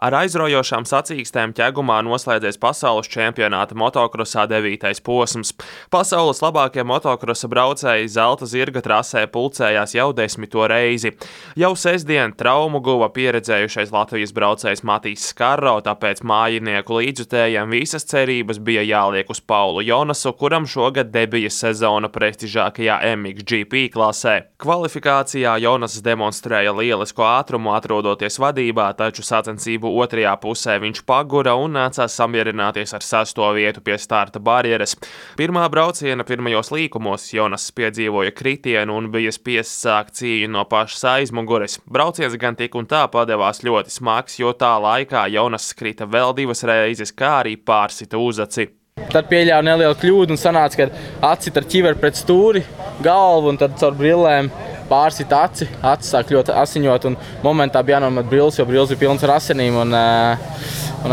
Ar aizraujošām sacīkstēm ķegumā noslēdzies pasaules čempionāta motokrosā 9. posms. Pasaules labākie motokrosa braucēji zelta zirga trasē pulcējās jau 10. reizi. Jau sestdien traumu guva pieredzējušais Latvijas braucējs Matīs Skarro, tāpēc mājinieku līdzjutējiem visas cerības bija jāliek uz Paulu Jonasu, kuram šogad debija sezona prestižākajā MXGP klasē. Kvalifikācijā Jonas demonstrēja lielisku ātrumu, atrodoties vadībā, taču sacensību otrajā pusē viņš pagura un nācās samierināties ar 6. vietu pie starta barjeras. Pirmā brauciena pirmajos līkumos Jonas piedzīvoja kritienu un bija spiests sākt cīņu no pašas aizmugures. Brauciens gan tik un tā padevās ļoti smags, jo tā laikā Jonas skrita vēl 2 reizes, kā arī pārsita uzaci. Tad pieļāva nelielu kļūdu un sanāca, ka acita ar ķiveri pret stūri, galvu un tad caur brillēm pārsit aci sāk ļoti asiņot un momentā bija jānomet brilles, jo brilles bija pilns ar asinīm un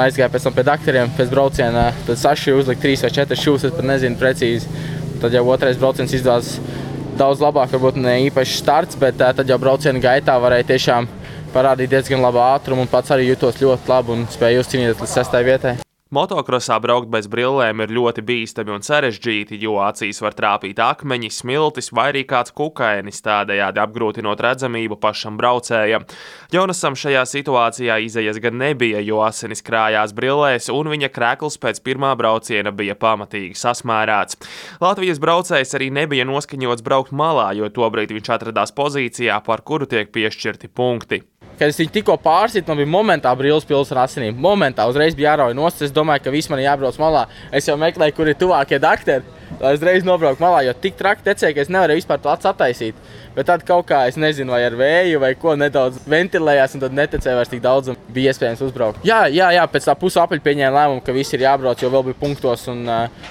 aizgāja pēc tam pie dakteriem pēc brauciena. Tad sašīja uzlikt 3 vai 4 šūs, es pat nezinu precīzi. Tad jau otrais brauciens izdevās daudz labāk, varbūt ne īpaši starts, bet tad jau brauciena gaitā varēja tiešām parādīt diezgan labu ātrumu un pats arī jutos ļoti labi un spēja uzcīnīties līdz 6. vietai. Motokrosā braukt bez brillēm ir ļoti bīstami un sarežģīti, jo acīs var trāpīt akmeņi, smiltis vai arī kāds kukainis, tādējādi apgrūtinot redzamību pašam braucējam. Jonasam šajā situācijā izejas gan nebija, jo asinis krājās brillēs un viņa krekls pēc pirmā brauciena bija pamatīgi sasmērēts. Latvijas braucējs arī nebija noskaņots braukt malā, jo tobrīd viņš atradās pozīcijā, par kuru tiek piešķirti punkti. Kad es viņu tikko pārsitu, man bija momentā brilles pilns ar asinīm. Momentā uzreiz bija jārauj nost. Es domāju, ka viss man jābrauc malā. Es jau meklēju, kur ir tuvākie dakteri, lai uzreiz nobraukt malā, jo tik traki tecēja, ka es nevarēju vispār to acu attaisīt. Bet tad kaut kā, es nezinu, vai ar vēju vai ko, nedaudz ventilējās un tad netecēja vairs tik daudz un bija iespējams uzbraukt. Jā, pēc tā pusu apaļa pieņēma lēmumu, ka visi ir jābrauc, jo vēl bija punktos un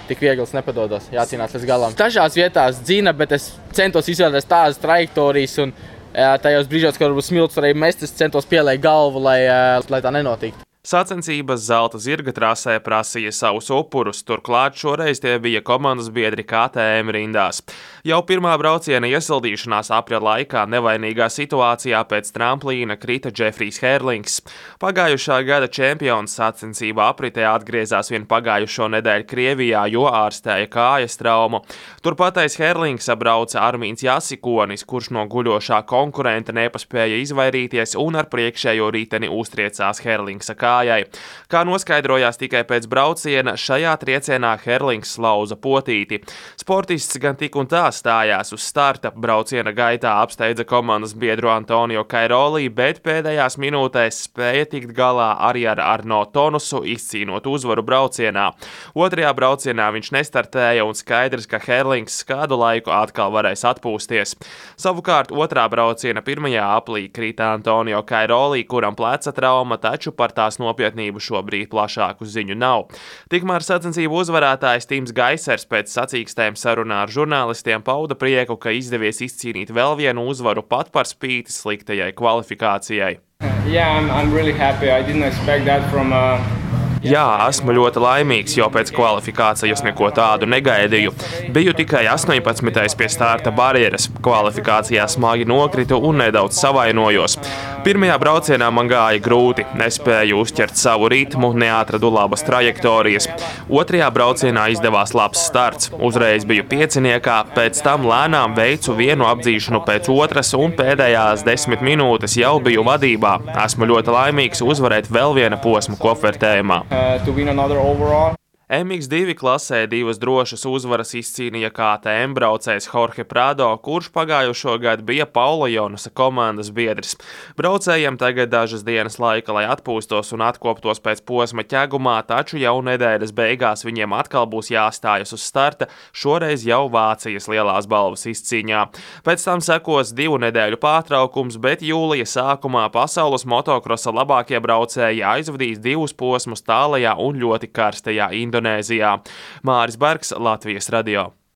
tik viegls nepadodos, jācīnās līdz galam. Dažās vietās dzina, bet es centos izvēlēties tādas trajektorijas un tajos brīžos, kad varbūt smilts varēja mest, es centos pieliekt galvu, lai tā nenotiktu. Sacensības zelta zirga trasē prasīja savus upurus, turklāt šoreiz tie bija komandas biedri KTM rindās. Jau pirmā brauciena iesildīšanās aprīļa laikā nevainīgā situācijā pēc tramplīna krita Džefrijs Herlings. Pagājušā gada čempions sacensību apritē atgriezās vien pagājušo nedēļu Krievijā, jo ārstēja kājas traumu. Turpatais Herlings brauca Armīns Jasikonis, kurš no guļošā konkurenta nepaspēja izvairīties un ar priekšējo riteni uztriecās Herlingsa kājai. Kā noskaidrojās tikai pēc brauciena, šajā triecienā Herlings lauza potīti. Sportists gan tik un tā stājās uz starta, brauciena gaitā apsteidza komandas biedru Antonio Kairoli, bet pēdējās minūtēs spēja tikt galā arī ar Arno Tonusu, izcīnot uzvaru braucienā. Otrajā braucienā viņš nestartēja un skaidrs, ka Herlings kādu laiku atkal varēs atpūsties. Savukārt otrā brauciena pirmajā aplī krita Antonio Kairoli, kuram pleca trauma, taču par tās nopietnību šobrīd plašāku ziņu nav. Tikmēr sacensību uzvarētājs Tims Gaisers pēc sacīkstēm sarunā ar žurnālistiem pauda prieku, ka izdevies izcīnīt vēl vienu uzvaru pat par spīti sliktajai kvalifikācijai. I'm really happy. I didn't expect that from Jā, esmu ļoti laimīgs, jo pēc kvalifikācijas neko tādu negaidīju. Biju tikai 18. pie starta barjeras. Kvalifikācijā smagi nokritu un nedaudz savainojos. Pirmajā braucienā man gāja grūti, nespēju uzķert savu ritmu, neatradu labas trajektorijas. Otrajā braucienā izdevās labs starts. Uzreiz biju pieciniekā, pēc tam lēnām veicu vienu apdzīšanu pēc otras un pēdējās 10 minūtes jau biju vadībā. Esmu ļoti laimīgs uzvarēt vēl viena posma kopvērtējumā. To win another overall. MX2 klasē 2 drošas uzvaras izcīnīja KTM braucējs Jorge Prado, kurš pagājušo gadu bija Paula Jonasa komandas biedrs. Braucējiem tagad dažas dienas laika, lai atpūstos un atkoptos pēc posma ķegumā, taču jau nedēļas beigās viņiem atkal būs jāstājas uz starta, šoreiz jau Vācijas lielās balvas izcīņā. Pēc tam sekos 2 nedēļu pārtraukums, bet jūlija sākumā pasaules motokrosa labākie braucēji aizvadīs 2 posmus tālajā un ļoti karstajā Indonēzijā. Māris Bergs, Latvijas radio.